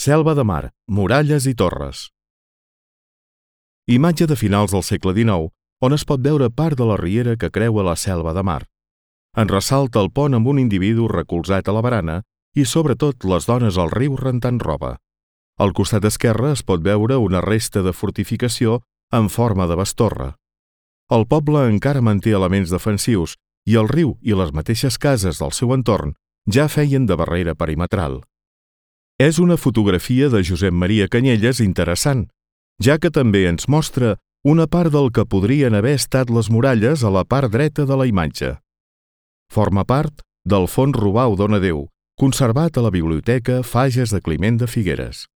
Selva de Mar, muralles i torres. Imatge de finals del segle XIX, on es pot veure part de la riera que creua la Selva de Mar. En ressalta el pont amb un individu recolzat a la barana i, sobretot, les dones al riu rentant roba. Al costat esquerre es pot veure una resta de fortificació en forma de bestorre. El poble encara manté elements defensius i el riu i les mateixes cases del seu entorn ja feien de barrera perimetral. És una fotografia de Josep Maria Canyelles interessant, ja que també ens mostra una part del que podrien haver estat les muralles a la part dreta de la imatge. Forma part del fons Rubau Donadeu, conservat a la Biblioteca Fages de Climent de Figueres.